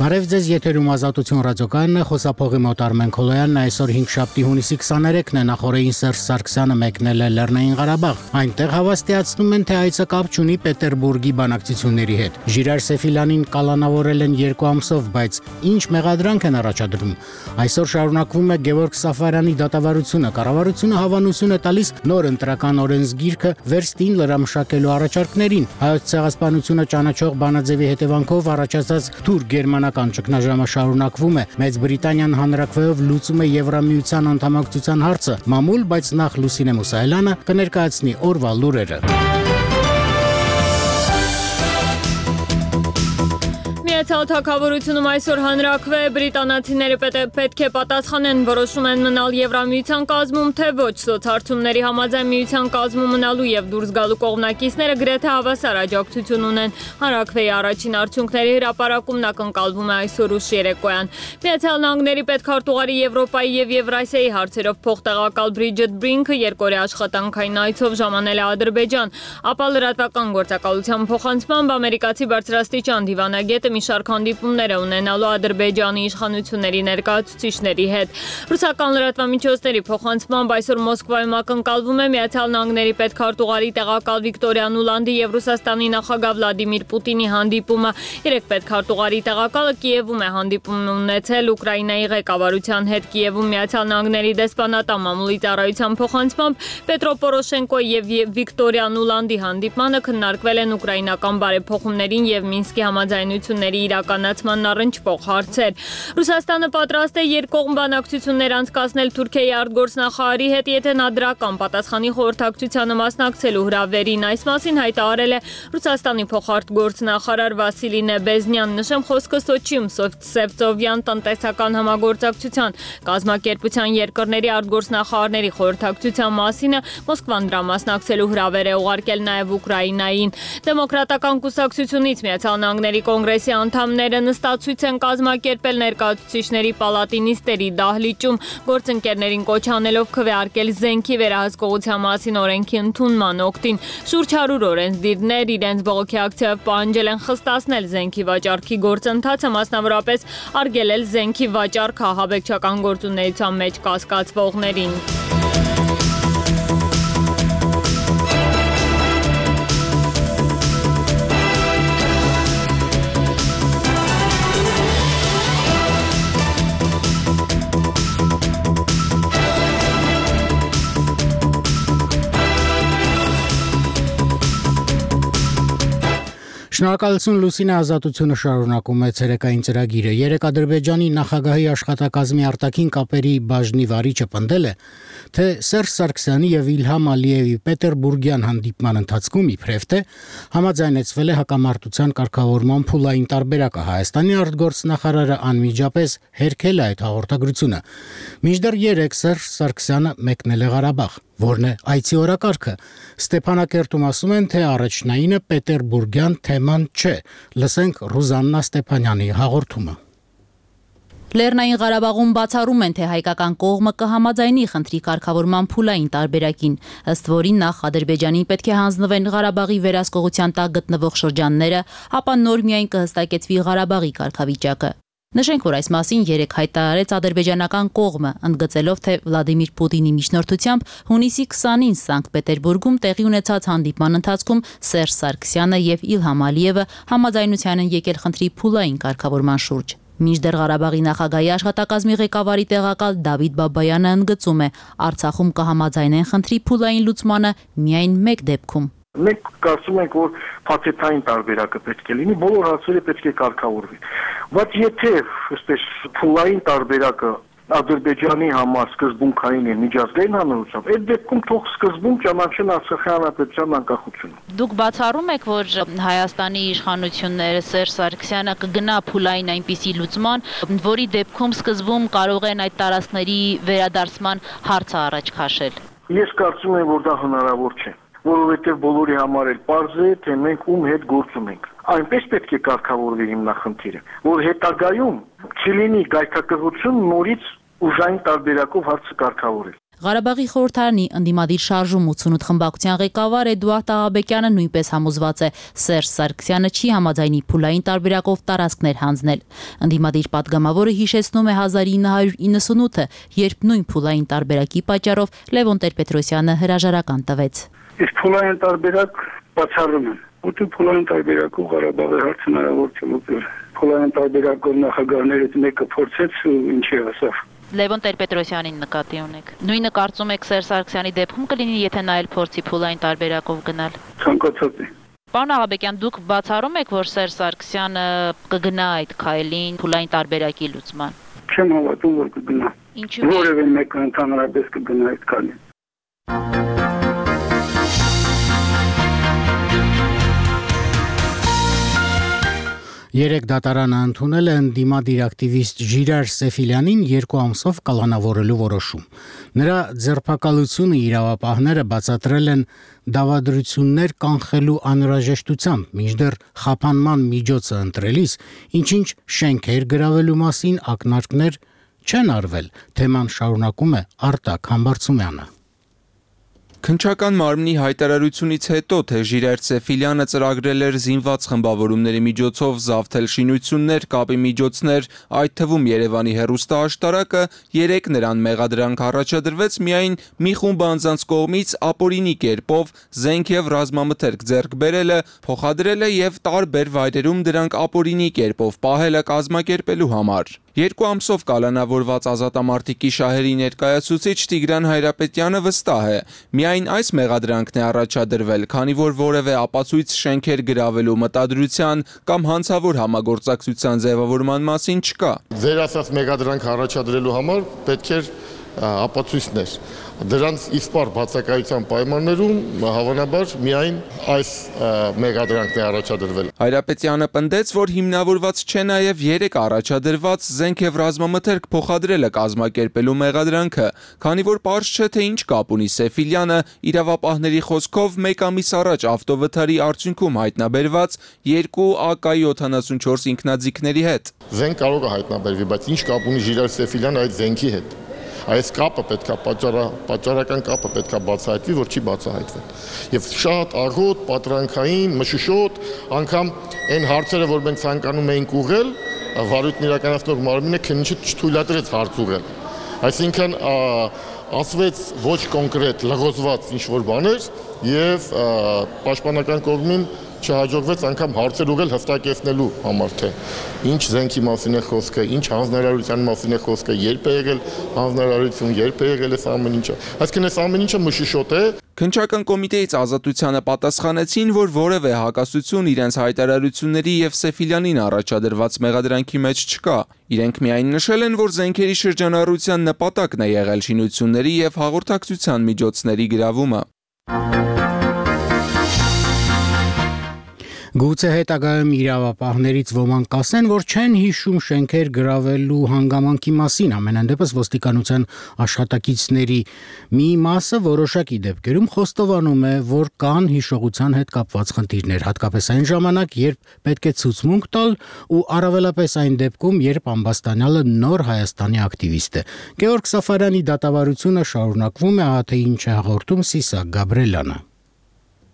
Բարև ձեզ, եթերում Ազատություն ռադիոկայանն է, խոսափողի մոտ Արմեն Քոլոյանն է, այսօր 5-շաբթի հունիսի 23-ն է, նախորդին Սերժ Սարգսյանը մեկնել է Լեռնային Ղարաբաղ։ Այնտեղ հավաստիացնում են, թե այցը կապ չունի Պետերբուրգի բանակցությունների հետ։ Ժիրայր Սեֆիլյանին կալանավորել են 2 ամսով, բայց ինչ մեղադրանք են առաջադրում։ Այսօր շարունակվում է Գևորգ Սաֆարյանի դատավարությունը, կառավարությունը հավանություն է տալիս նոր ընտրական օրենսգիրքը վերստին լրամշակելու առաջարկներին։ Հայոց ցեղասպանությունը ճանաչող բանաձևի հետևանքով առաջացած թուրք-գերմանական ճգնաժամը շարունակվում է։ Մեծ Բրիտանիան հանրաքվեով լուծում է Եվրամիության անդամակցության հարցը։ Մամուլ, բայց նախ Լուսինե Մուսայելյանը կներկայացնի օրվա լուրերը։ Միացյալ Թագավորությունում այսօր հանրաքվե բրիտանացիները պետք է պատասխանեն, որոշում են մնալ Եվրամիության կազմում, թե ոչ։ Սոցհարցումների համաձայն Միության կազմում մնալու եւ դուրս գալու կողմնակիցները գրեթե հավասար աջակցություն ունեն։ Հանրաքվեի առաջին արդյունքների հրապարակումն ակնկալվում է այսօր ուշ երեկոյան։ Միացյալ Նահանգների պետքարտուղարի Եվրոպայի եւ Եվրասիայի հարցերով փոխտեղակալ Բրիջետ Բրինքը երկօրյա աշխատանքային այցով ժամանել է Ադրբեջան, ապա լրատվական գործակալության փոխանցմամբ ամերիկացի բարձրաստիճան դիվանագետը մի շարք հանդիպումներ է ունենալու Ադրբեջանի իշխանությունների ներկայացուցիչների հետ։ Ռուսական լրատվամիջոցների փոխանցմամբ այսօր Մոսկվայում ակնկալվում է Միացյալ Նահանգների պետքարտուղարի տեղակալ Վիկտորիա Նուլանդի եւ Ռուսաստանի նախագահ Վլադիմիր Պուտինի հանդիպումը։ Երեք պետքարտուղարի տեղակալը Կիևում է հանդիպում ունեցել Ուկրաինայի ղեկավարության հետ։ Կիևում Միացյալ Նահանգների դեսպանատան մամուլի ծառայության փոխանցմամբ Պետրո Պորոշենկոյի եւ Վիկտորիա Նուլանդի հանդիպմանը քննարկվել են ուկրաինական բարեփոխումներին եւ Մինսկի համաձայնությունների իրականացման առնչվող հարցեր։ Ռուսաստանը պատրաստ է երկկողմ բանակցություններ անցկացնել Թուրքիայի արտգործնախարարի հետ, եթե նա դրական պատասխանի խորհրդակցությանը մասնակցելու հրավերին։ Այս մասին հայտարարել է Ռուսաստանի փոխարտգործնախարար Վասիլի Նեբեզնյան։ Նշեմ, խոսքը Սոչիում Սևծովյան տնտեսական համագործակցության կազմակերպության երկրների արտգործնախարարների խորհրդակցության մասին է։ Մոսկվան դրա մասնակցելու հրավեր է ուղարկել նաև Ուկրաինային։ Դեմոկրատական կուսակցությունից Միացյալ Նահանգների կոնգրեսի անդամները նստացույց են կազմակերպել ներկայացուցիչների պալատի նիստերի դահլիճում, գործընկերներին կոչ անելով քվեարկել զենքի վերահսկողության մասին օրենքի ընդունման օգտին։ Շուրջ 100 օրենսդիրներ իրենց բողոքի ակցիայով պահանջել են խստացնել զենքի վաճառքի գործընթացը, մասնավորապես արգելել զենքի վաճառքը ահաբեկչական գործունեության մեջ կասկածվողներին։ Շնորհակալություն Լուսինե, Ազատությունը շարունակում է ցերեկային ծրագիրը։ Երեք Ադրբեջանի նախագահի աշխատակազմի արտաքին կապերի բաժնի վարիչը պնդել է, թե Սերժ Սարգսյանի եւ Իլհամ Ալիևի Պետերբուրգյան հանդիպման ընթացքում իբրև թե համաձայնեցվել է հակամարտության կարգավորման փուլային տարբերակը։ Հայաստանի արտգործնախարարը անմիջապես հերքել է այդ հաղորդագրությունը։ Մինչդեռ երեք Սերժ Սարգսյանը մեկնել է Ղարաբաղ։ Որն է այցի օրակարգը։ Ստեփանակերտում ասում են, թե առաջնայինը Պետերբուրգյան թեման չէ։ Լսենք Ռուզաննա Ստեփանյանի հաղորդումը։ Լեռնային Ղարաբաղում բացառում են, թե հայկական կողմը կհամաձայնի խնդրի կարգավորման փուլային տարբերակին, ըստ որին նախ Ադրբեջանին պետք է հանձնվեն Ղարաբաղի վերահսկողության տակ գտնվող շրջանները, ապա նոր միայն կհստակեցվի Ղարաբաղի կարգավիճակը։ Նշենք, որ այս մասին երեկ հայտարարեց ադրբեջանական կողմը, ընդգծելով, թե Վլադիմիր Պուտինի միջնորդությամբ հունիսի 20-ին Սանկտ Պետերբուրգում տեղի ունեցած հանդիպման ընթացքում Սերժ Սարգսյանը եւ Իլհամ Ալիևը համաձայնության են եկել խնդրի փուլային կարգավորման շուրջ։ Մինչդեռ Ղարաբաղի նախագահի աշխատակազմի ղեկավարի տեղակալ Դավիթ Բաբայանը ընդգծում է, Արցախում կհամաձայնեն խնդրի փուլային լուծմանը միայն մեկ դեպքում։ Մենք կարծում ենք, որ փաթեթային տարբերակը պետք է լինի, բոլոր հարցերը պետք է կարգավորվի։ Բայց եթե այսպես փուլային տարբերակը Ադրբեջանի համար սկզբունքային է միջազգային հանրությամբ, այդ դեպքում թող սկզբում ճանաչեն Արցախի հանրապետության անկախությունը։ Դուք բացառում եք, որ Հայաստանի իշխանությունները Սերժ Սարգսյանը կգնա փուլային այնպիսի լուծման, որի դեպքում սկզբում կարող են այդ տարածքների վերադարձման հարցը առաջ քաշել։ Ես կարծում եմ, որ դա հնարավոր չէ, որովհետև բոլորի համար էլ պարզ է, թե մենք ում հետ գործում ենք։ Այնպես պետք է կարգավորվի հիմնախնդիրը, որ հետագայում չլինի գայթակղություն նորից ուժային տարբերակով հարցը կարգավորել։ Ղարաբաղի խորհրդարանի ընդդիմադիր շարժում 88 խմբակցության ղեկավար Էդուարդ Աղաբեկյանը նույնպես համոզված է, Սերժ Սարգսյանը չի համաձայնի փուլային տարբերակով տարածքներ հանձնել։ Ընդդիմադիր պատգամավորը հիշեցնում է 1998-ը, երբ նույն փուլային տարբերակի պատճառով Լևոն Տեր-Պետրոսյանը հրաժարական տվեց։ Իսկ փուլային տարբերակ բացառում են։ Ու փուլային տարբերակով Ղարաբաղի հարցը հնարավոր չէ լուծել։ Փուլային տարբերակով նախագահներից մեկը փորձեց ու ինչի ասավ։ Լևոն Տեր-Պետրոսյանին նկատի ունեք։ Նույնը կարծում եք Սերժ Սարգսյանի դեպքում կլինի, եթե նա էլ փորձի փուլային տարբերակով գնալ։ Ցանկացած է։ Պարոն Աղաբեկյան, դուք բացառում եք, որ Սերժ Սարգսյանը կգնա այդ քայլին փուլային տարբերակի լուծման։ Չեմ հավատում, որ կգնա։ Ինչու՞։ Որևէ մեկը ընդհանրապես կգնա այդ քայլին։ Երեք դատարանը ընդունել է ընդդիմադիր ակտիվիստ Ժիրայր Սեֆիլյանին 2 ամսով կալանավորելու որոշում։ Նրա ձերբակալությունը իրավապահները բացատրել են դավադրություններ կանխելու անհրաժեշտությամբ, մինչդեռ խափանման միջոցը ընտրելիս, ինչ-ինչ շենքեր գրավելու մասին ակնարկներ չեն արվել, թեման շարունակում է Արտակ Համբարձումյանը։ Քննչական մարմնի հայտարարությունից հետո, թե Ժիրայր Սեֆիլյանը ծրագրել էր զինված խմբավորումների միջոցով զավթել շինություններ, կապի միջոցներ, այդ թվում Երևանի հեռուստաաշտարակը, 3 նրան մեղադրանք առաջադրվեց միայն մի խումբ անձանց կողմից ապօրինի կերպով զենք եւ ռազմամթերք ձեռք բերելը, փոխադրելը եւ տարբեր վայրերում դրանք ապօրինի կերպով պահելը կազմակերպելու համար։ 2 ամսով կալանավորված ազատամարտիկի շահերի ներկայացուցիչ Տիգրան Հայրապետյանը վստահ է, միայն այս մեղադրանքն է առաջադրվել, քանի որ որևէ ապացույց շենքեր գրավելու մտադրության կամ հանցավոր համագործակցության ձևավորման մասին չկա։ Ձեր ասած մեղադրանք առաջադրելու համար պետք էր ապացույցներ։ Դրանց իսպար բացակայության պայմաններում հավանաբար միայն այս մեղադրանքն է առաջադրվել։ Հայրապետյանը պնդեց, որ հիմնավորված չէ նաև 3 առաջադրված զենք եւ ռազմամթերք փոխադրելը կազմակերպելու մեղադրանքը, քանի որ պարզ չէ թե ինչ կապ ունի Սեֆիլյանը իրավապահների խոսքով 1 ամիս առաջ ավտովթարի արդյունքում հայտնաբերված 2 AK-74 ինքնաձիգների հետ։ Զենք կարող է հայտնաբերվի, բայց ինչ կապ ունի Ժիրայր Սեֆիլյանը այդ զենքի հետ։ Այս կապը պետքա պատճառական կապը պետքա բացահայտվի, որ չի բացահայտվել։ Եվ շատ աղոտ, պատրանքային, մշուշոտ, անգամ այն հարցերը, որ մենք ցանկանում էինք ուղղել, վարույթն իրականացնող մարմինը քննիչը չթույլատրեց հարց ուղղել։ Այսինքն ասվեց ոչ կոնկրետ լղոզված ինչ-որ բաներ եւ պաշտպանական կողմին չհաջողվեց անգամ հարցեր ուղղել հստակեցնելու համար, թե ինչ զենքի մասին է խոսքը, ինչ հանձնարարության մասին է խոսքը, երբ է եղել հանձնարարություն, երբ է եղել այս ամեն ինչը։ Այսինքն այս ամեն ինչը մշուշոտ է։ Քննչական կոմիտեից Ազատությանը պատասխանեցին, որ որևէ հակասություն իրենց հայտարարությունների եւ Սեֆիլյանին առաջադրված մեղադրանքի մեջ չկա։ Իրենք միայն նշել են, որ զենքերի շրջանառության նպատակն է եղել շինությունների եւ հաղորդակցության միջոցների գրավումը։ Գուցե հետագայում իրավապահներից ոմանք կասեն, որ չեն հիշում շենքեր գրավելու հանգամանքի մասին, ամենայն դեպս ոստիկանության աշխատակիցների մի մասը որոշակի դեպքերում խոստովանում է, որ կան հիշողության հետ կապված խնդիրներ, հատկապես այն ժամանակ, երբ պետք է ցուցմունք տալ ու առավելապես այն դեպքում, երբ ամբաստանյալը նոր Հայաստանի ակտիվիստ է։ Գեորգ Սաֆարյանի դատավարությունը շարունակվում է, թե ինչ է հաղորդում Սիսակ Գաբրելյանը։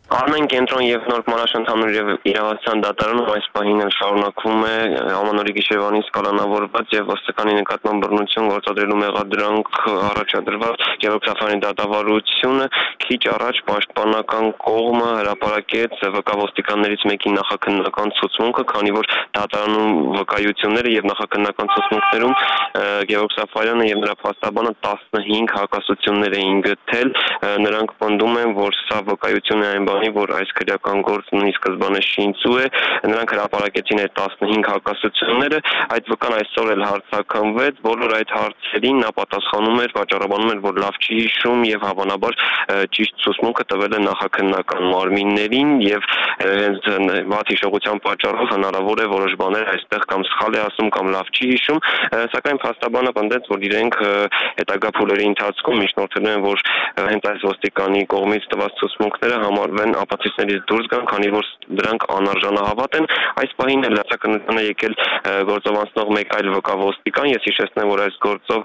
Արմեն կենտրոն եւ Նոր Մանաշ ընդհանուր իրավասության դատարանում այս պահին շարունակվում է ամանորի գիշերվանից կալանավորված եւ ոստիկանի նկատմամբ բռնություն գործադրելու մեղադրանք առաջադրված Գեորգ Սաֆարյանի դատավարությունը քիչ առաջ պաշտպանական կողմը հրապարակեց ՎԿ ոստիկաններից մեկի նախաքննական ցուցմունքը, քանի որ դատարանում վկայությունները եւ նախաքննական ցուցմունքներում Գեորգ Սաֆարյանը եւ նրա փաստաբանը 15 հակասություններ էին գտել, նրանք պնդում են, որ սա վկայություն է այն որ այս քրեական գործն ի սկզբանե շինծու է, նրանք հրապարակեցին այդ 15 հակասությունները, այդ վկան այսօր էլ հարցաքննվեց, բոլոր այդ հարցերին նա պատասխանում էր, վաճառաբանում էր, որ լավ չի հիշում եւ հավանաբար ճիշտ ցուցմունքը տվել է նախաքննական մարմիններին եւ հենց վատ հիշողության պատճառով հնարավոր է որոշ բաներ այստեղ կամ սխալ է ասում կամ լավ չի հիշում, սակայն փաստաբանը պնդեց, որ իրենք հետագա փուլերի ընթացքում միջնորդել են, որ հենց այս ոստիկանի կողմից տված ցուցմունքները համարվել այն ապացույցներից դուրս գան, քանի որ դրանք անարժանահավատ են։ Այս պահին լրացակնությանը եկել գործով անցնող մեկ այլ վկա-ոստիկան, ես հիշեցնեմ, որ այս գործով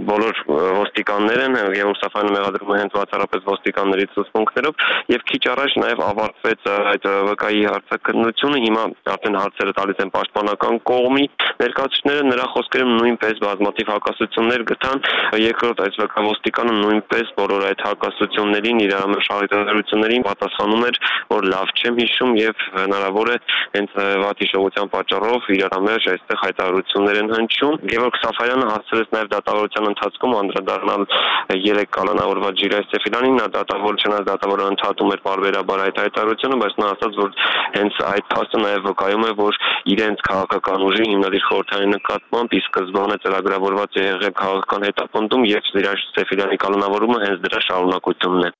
բոլոր ոստիկաններ են եւ Սաֆայանը մեղադրում է հենց բացառապես ոստիկանների ցուցմունքներով եւ քիչ առաջ նաեւ ավարտվեց այդ վկայի հարցակնությունը, հիմա արդեն հարցերը տալիս են պաշտպանական կողմի ներկայացուցիչները, նրա խոսքերում նույնպես բազմաթիվ հակասություններ գտան, երկրորդ այս վկա-ոստիկանը նույնպես բոլոր այդ հակասություններին իր շահութենություններին պատասխանում էր, որ լավ չեմ հիշում եւ հնարավոր է հենց վատ հիշողության պատճառով իրարամերժ այստեղ հայտարարություններ են հնչում։ Գևորգ Սաֆարյանը հասցրեց նաեւ դատավարության ընթացքում անդրադառնալ 3 կալանավորված Ժիրայր Սեֆիլյանին, նա դատավոր չնայած դատավորը ընդհատում էր բարբերաբար այդ հայտարարությունը, բայց նա ասաց, որ հենց այդ փաստը նաեւ վկայում է, որ իրենց քաղաքական ուժի հիմնադիր խորհրդանի նկատմամբ ի սկզբանե ծրագրավորված է եղել քաղաքական հետապնդում եւ Ժիրայր Սեֆիլյանի կալանավորումը հենց դրա շարունակությունն է։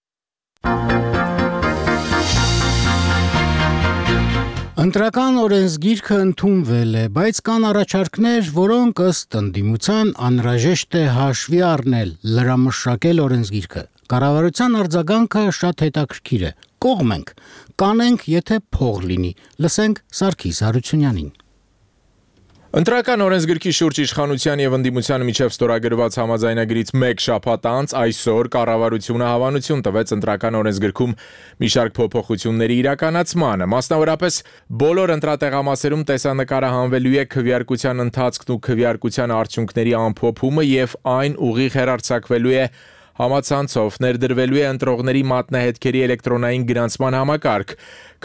Ընտրական օրենսգիրքը ընդունվել է, բայց կան առաջարկներ, որոնք ըստ ընդդիմության անհրաժեշտ է հաշվի առնել, լրամշակել օրենսգիրքը։ Կառավարության արձագանքը շատ հետաքրքիր է։ Կողմենք, կանենք, եթե փող լինի։ Լսենք Սարգիս Հարությունյանին։ Ընտրական օրենսգրքի շուրջ իշխանության եւ ընդդիմության միջև ստորագրված համաձայնագրից 1 շաբաթ անց այսօր կառավարությունը հավանություն տվեց ընտրական օրենսգրքում մի շարք փոփոխությունների իրականացմանը, մասնավորապես բոլոր ընտրատեղամասերում տեսանկարը հանվելու է քվեարկության ընթացքն ու քվեարկության արդյունքների ամփոփումը եւ այն ուղիղ հեռարձակվելու է համացանցով, ներդրվելու է ընտրողների մատնահետքերի էլեկտրոնային գրանցման համակարգ։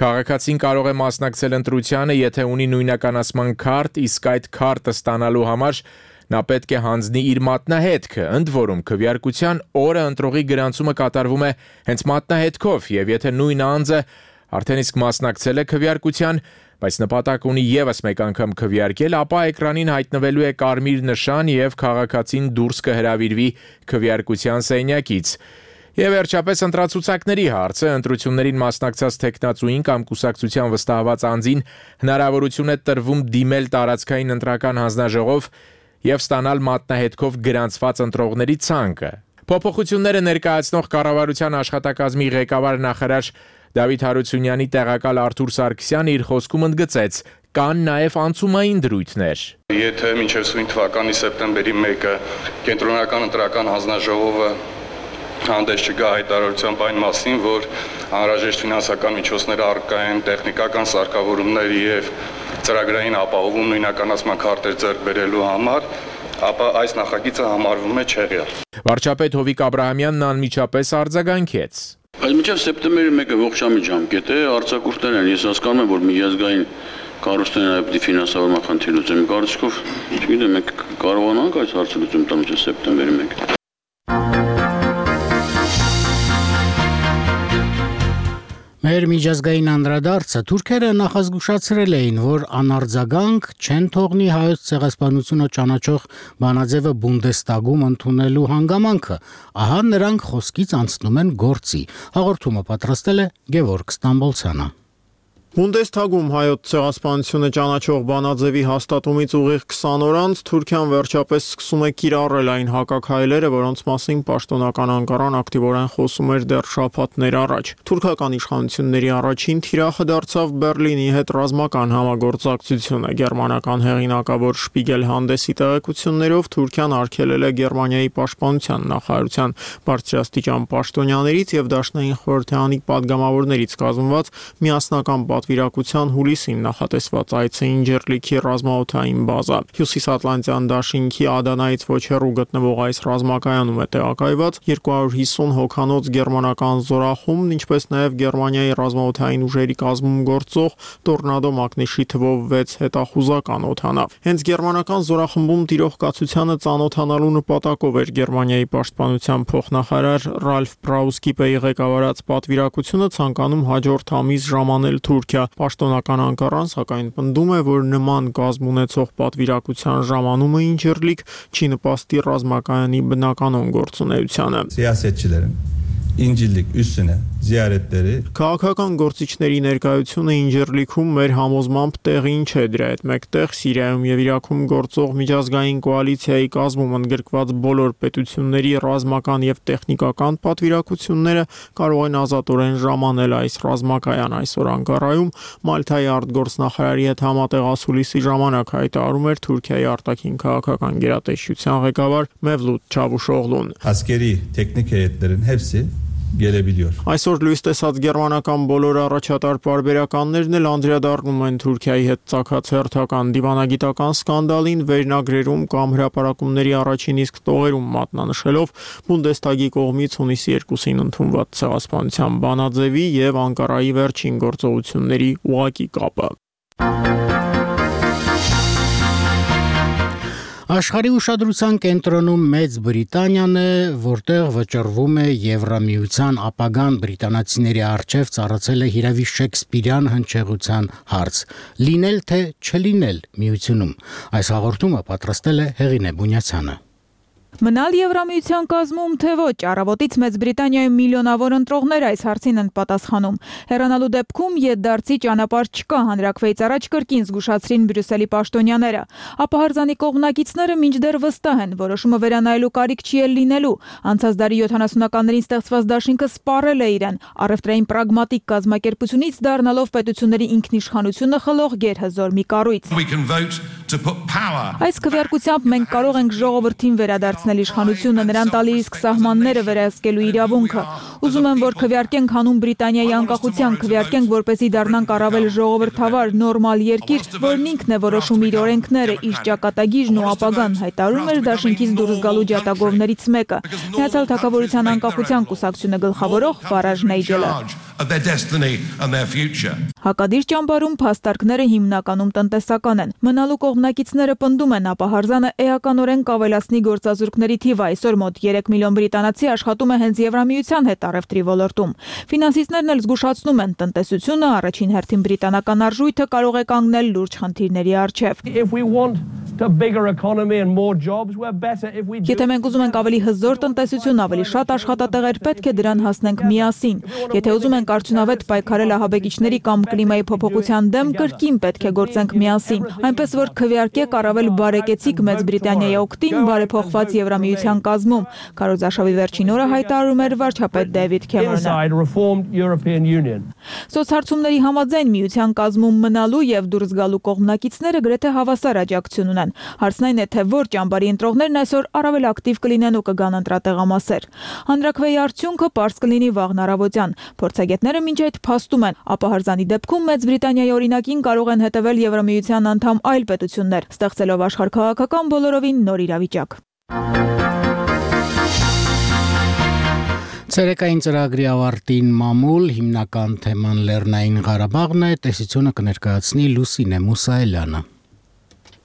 Քաղաքացին կարող է մասնակցել ընտրությանը, եթե ունի նույնականացման քարտ, իսկ այդ քարտը ստանալու համար նա պետք է հանձնի իր մատնահետքը, ընդ որում քվեարկության օրը ընտրողի գրանցումը կատարվում է հենց մատնահետքով, եւ եթե նույն անձը արդեն իսկ մասնակցել է քվեարկության, բայց նպատակ ունի եւս մեկ անգամ քվեարկել, ապա էկրանին հայտնվելու է կարմիր նշան եւ քաղաքացին դուրս կհրավիրվի քվեարկության սենյակից։ Եվ վերջապես ընտրացուցակների հարցը, ընտրություններին մասնակցած տեխնացուին կամ կուսակցության վստահված անձին հնարավորություն է տրվում դիմել տարածքային ընտրական հանձնաժողով եւ ստանալ մատնահետքով գրանցված ընտրողների ցանկը։ Փոփոխությունները ներկայացնող կառավարության աշխատակազմի ղեկավար նախարար Դավիթ Հարությունյանի տեղակալ Արթուր Սարգսյանը իր խոսքում ընդգծեց, կան նաև անցումային դրույթներ։ Եթե մինչև սույն թվականի սեպտեմբերի 1-ը կենտրոնական ընտրական հանձնաժողովը հանդես չգա հայտարարությամբ այն մասին, որ անհրաժեշտ ֆինանսական միջոցներ առկա են տեխնիկական սարքավորումներ եւ ծրագրային ապահովում նույնականացման քարտեր ձեռք բերելու համար, ապա այս նախագիծը համարվում է չեղյալ։ Վարչապետ Հովիկ Աբրահամյանն անմիջապես արձագանքեց։ Այս մինչև սեպտեմբերի 1-ը ողջամիտ ժամկետ է, արձակուրդներ են, ես հասկանում եմ, որ միջազգային կառույցներն այդպիսի ֆինանսավորման խնդիր լուծեն, կարծիքով, չգիտեմ, մենք կարողանանք այս հարցը լուծում տալ մինչև սեպտեմբերի 1-ը։ Մեր միջազգային անդրադարձը թուրքերը նախազգուշացրել էին, որ անարձագանք չեն թողնի հայոց ցեղասպանությունը ճանաչող բանաձևը Բունդեստագում ընդունելու հանգամանքը, ահա նրանք խոսքից անցնում են գործի։ Հաղորդումը պատրաստել է Գևորգ Ստամբոլցյանը։ Բունդեստագում հայոց ցեղասպանությունը ճանաչող բանաձևի հաստատումից ուղիղ 20 օր անց Թուրքիան վերջապես սկսում է կիրառել այն հակաքայլերը, որոնց մասին պաշտոնական Անկարան ակտիվորեն խոսում էր դեռ շաբաթներ առաջ։ Թուրքական իշխանությունների առաջին թիրախը դարձավ Բերլինի հետ ռազմական համագործակցությունը։ Գերմանական հեղինակավոր Շպիգել հանդեսի տեղեկություններով Թուրքիան արգելել է Գերմանիայի պաշտպանության նախարարության բարձրաստիճան պաշտոնյաներից եւ Դաշնային խորհրդանի падգամավորներից կազմված միասնական պատվիրակության հուլիսին նախատեսված այցը Ինջերլիքի ռազմաօդային բազա։ Հյուսիսատլանտյան դաշինքի Ադանայից ոչ հեռու գտնվող այս ռազմակայանում է տեղակայված 250 հոգանոց գերմանական զորախումբ, ինչպես նաև Գերմանիայի ռազմաօդային ուժերի կազմում գործող Տորնադո մակնիշի թվով 6 հետախուզական օդանավ։ Հենց գերմանական զորախմբում տիրող կացությանը ծանոթանալու նպատակով էր Գերմանիայի պաշտպանության փոխնախարար Ռալֆ Բրաուսկիպեի ղեկավարած պատվիրակությունը ցանկանում հաջորդ ամիս ժամանել Թուրքիա։ Պաշտոնական Անկարան սակայն պնդում է, որ նման կազմ ունեցող պատվիրակության ժամանումը Ինջերլիք չի նպաստի ռազմակայանի բնականոն գործունեությանը։ Siyasetçilerin İncirlik üssüne ziyaretleri. Քաղաքական գործիչների ներկայությունը Ինջերլիքում մեր համոզմամբ տեղին չէ, դրա հետ մեկտեղ Սիրիայում եւ Իրաքում գործող միջազգային կոալիցիայի կազմում ընդգրկված բոլոր պետությունների ռազմական եւ տեխնիկական պատվիրակությունները կարող են ազատորեն ժամանել այս ռազմակայան այսօր Անկարայում Մալթայի արտգործնախարարի հետ համատեղ ասուլիսի ժամանակ հայտարարում էր Թուրքիայի արտաքին քաղաքական գերատեսչության ղեկավար Մևլութ Չավուշօղլուն. Askeri teknik heyetlerin hepsi gelebiliyor. Այսօր լույս տեսած գերմանական բոլոր առաջատար պարբերականներն էլ անդրադառնում են Թուրքիայի հետ ծագած հերթական դիվանագիտական սկանդալին վերնագրերում կամ հրապարակումների առաջին իսկ տողերում մատնանշելով Բունդեսթագի կողմից հունիսի 2-ին ընդունված ցեղասպանության բանաձևի եւ Անկարայի վերջին գործողությունների ուղղակի կապը։ Աշխարհի ուշադրության կենտրոնում Մեծ Բրիտանիան է, որտեղ վճռվում է Եվրամիության ապագան բրիտանացիների առջև ծառացել է հիրավի շեքսպիրյան հնչեղության հարց. լինել թե չլինել միությունում։ Այս հաղորդումը պատրաստել է Հեղինե Բունյացյանը։ Մնալ Եվրամիության կազմում թե ոչ, առավոտից Մեծ Բրիտանիայում միլիոնավոր ընտրողներ այս հարցին են պատասխանում։ Հեռանալու դեպքում ետդարձի ճանապարհ չկա, հանրաքվեից առաջ կրկին զգուշացրին Բրյուսելի պաշտոնյաները։ Ապահարզանի կողմնակիցները մինչդեռ վստահ են, որոշումը վերանայելու կարիք չի էլ լինելու։ Անցած դարի 70-ականներին ստեղծված դաշինքը սպառել է իրեն, առևտրային պրագմատիկ կազմակերպությունից դառնալով պետությունների ինքնիշխանությունը խլող գերհզոր մի կառույց։ Այս քվեարկությամբ մենք կարող ենք ժողովրդին վերադարձնել իշխանությունը, նրան տալի իսկ սահմանները վերահսկելու իրավունքը։ Ուզում եմ, որ քվեարկենք հանուն Բրիտանիայի անկախության, քվեարկենք, որպեսզի դառնանք առավել ժողովրդավար, նորմալ երկիր, որն ինքն է որոշում իր օրենքները, իր ճակատագիրն ու ապագան, հայտարարում էր դաշինքից դուրս գալու ջատագովներից մեկը։ Միացյալ Թագավորության անկախության կուսակցությունը գլխավորող Ֆարաժ Նայջելը։ Հակադիր ճամբարում փաստարկները հիմնականում տնտեսական են։ Մնալու կողմնակիցները պնդում են, ապահարզանը էականորեն կավելացնի գործազուրկների թիվը, այսօր մոտ 3 միլիոն բրիտանացի աշխատում է հենց Եվրամիության հետ առևտրի ոլորտում։ Ֆինանսիստներն էլ զգուշացնում են, տնտեսությունը առաջին հերթին բրիտանական արժույթը կարող է կանգնել լուրջ խնդիրների առջև։ Եթե մենք ուզում ենք ավելի հզոր տնտեսություն, ավելի շատ աշխատատեղեր, պետք է դրան հասնենք միասին։ Եթե ուզում ենք արդյունավետ պայքարել ահաբեկիչների կամ կլիմայի փոփոխության դեմ, կրկին պետք է գործենք միասին։ Այնպես որ քվեարկեք առավել բարեկեցիկ Մեծ Բրիտանիայի օգտին բարեփոխված Եվրամիության կազմում, քարոզարշավի վերջին օրը հայտարարում էր վարչապետ Դեվիդ Քեմերոնը։ Սոցհարցումների համաձայն միության կազմում մնալու եւ դուրս գալու կողմնակիցները գրեթե հավասար աջակցություն ունեն։ Հարցն այն է, թե որ ճամբարի ընտրողներն այսօր առավել ակտիվ կլինեն ու կգան ընտրատեղամասեր։ Հանրաքվեի արդյունքը պարզ կլինի վաղն առավոտյան։ Փորձագետները մինչ այդ փաստում են, ապահարզանի դեպքում Մեծ Բրիտանիայի օրինակին կարող են հետևել Եվրամիության անդամ այլ պետություններ, ստեղծելով աշխարհքաղաքական բոլորովին նոր իրավիճակ։ Ցերեկային ծրագրի ավարտին մամուլ հիմնական թեման Լեռնային Ղարաբաղն է, տեսությունը կներկայացնի Լուսինե Մուսայելյանը։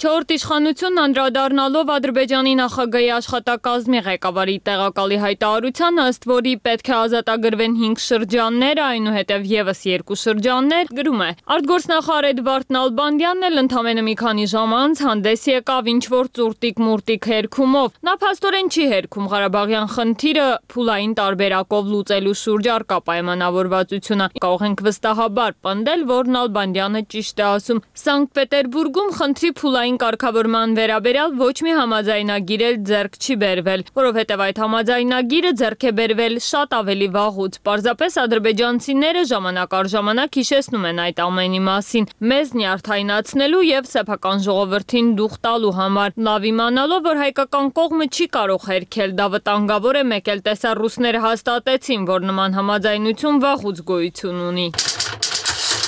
Չորրորդ իշխանությունն անդրադառնալով Ադրբեջանի նախագահի աշխատակազմի ղեկավարի տեղակալի հայտարարությանը, ըստ որի պետք է ազատագրվեն 5 շրջաններ, այնուհետև եւս 2 շրջաններ, գրում է. Արտգործնախարար Էդվարդ Նալբանդյանն էլ ընդամենը մի քանի ժամ անց հանդես եկավ ինչ-որ ծուրտիկ-մուրտիկ հերքումով։ Նա փաստորեն չի հերքում Ղարաբաղյան խնդիրը փուլային տարբերակով լուծելու շուրջ առկա պայմանավորվածությունը։ Կարող ենք վստահաբար պնդել, որ Նալբանդյանը ճիշտ է ասում։ Սանկտ Պետերբուրգում խնդրի փուլային կարգավորման վերաբերյալ ոչ մի համաձայնագիր էլ ձեռք չի բերվել, որովհետև այդ համաձայնագիրը ձեռք է բերվել շատ ավելի վաղուց։ Պարզապես ադրբեջանցիները ժամանակ առ ժամանակ հիշեցնում են այդ ամենի մասին, մեզ նյարդայնացնելու եւ սեփական ժողովրդին դուխ տալու համար, լավ իմանալով, որ հայկական կողմը չի կարող հերքել, դա վտանգավոր է, մեկ էլ տեսա ռուսները հաստատեցին, որ նման համաձայնություն վաղուց գոյություն ունի։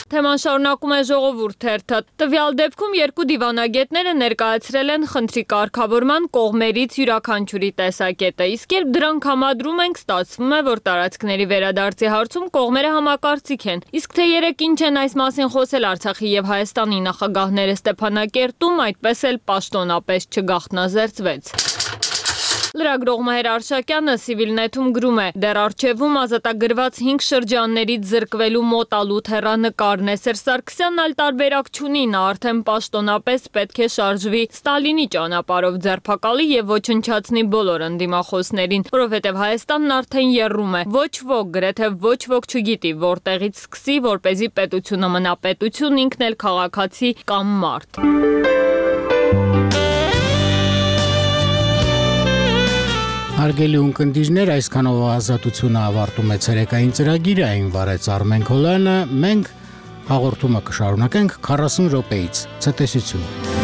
Թեման շարունակում է Ժողովուրդ թերթը։ Տվյալ դեպքում երկու դիվանագետները ներկայացրել են խնդրի կարգավորման կողմերից յուրաքանչյուրի տեսակետը, իսկ երբ դրանք համադրում ենք, ստացվում է, որ տարածքների վերադարձի հարցում կողմերը համակարծիք են։ Իսկ թե երեկ ինչ են այս մասին խոսել Արցախի եւ Հայաստանի նախագահները Ստեփանակերտում, այդպես էլ պաշտոնապես չգաղտնազերծվեց։ Լրագրող Մհեր Արշակյանը Civilnet-ում գրում է. դեռ արչևում ազատագրված 5 շրջաններից զրկվելու մոտալուտ հեռանկարն է։ Սերժ Սարգսյանն այլ տարբերակ չունի, նա արդեն պաշտոնապես պետք է շարժվի Ստալինի ճանապարհով, ձերբակալի եւ ոչնչացնի բոլոր ընդդիմախոսներին, որովհետեւ Հայաստանն արդեն եռում է։ Ոչ ոք, գրեթե ոչ ոք չգիտի, որտեղից սկսի, որպեսզի պետությունը մնա պետություն, ինքն էլ քաղաքացի կամ մարդ։ Հարգելի ունկնդիրներ, այսքանով ազատությունը ավարտում է ցերեկային ծրագիրը, այն վարեց Արմեն Քոլյանը, մենք հաղորդումը կշարունակենք 40 րոպեից։ Ցտեսություն։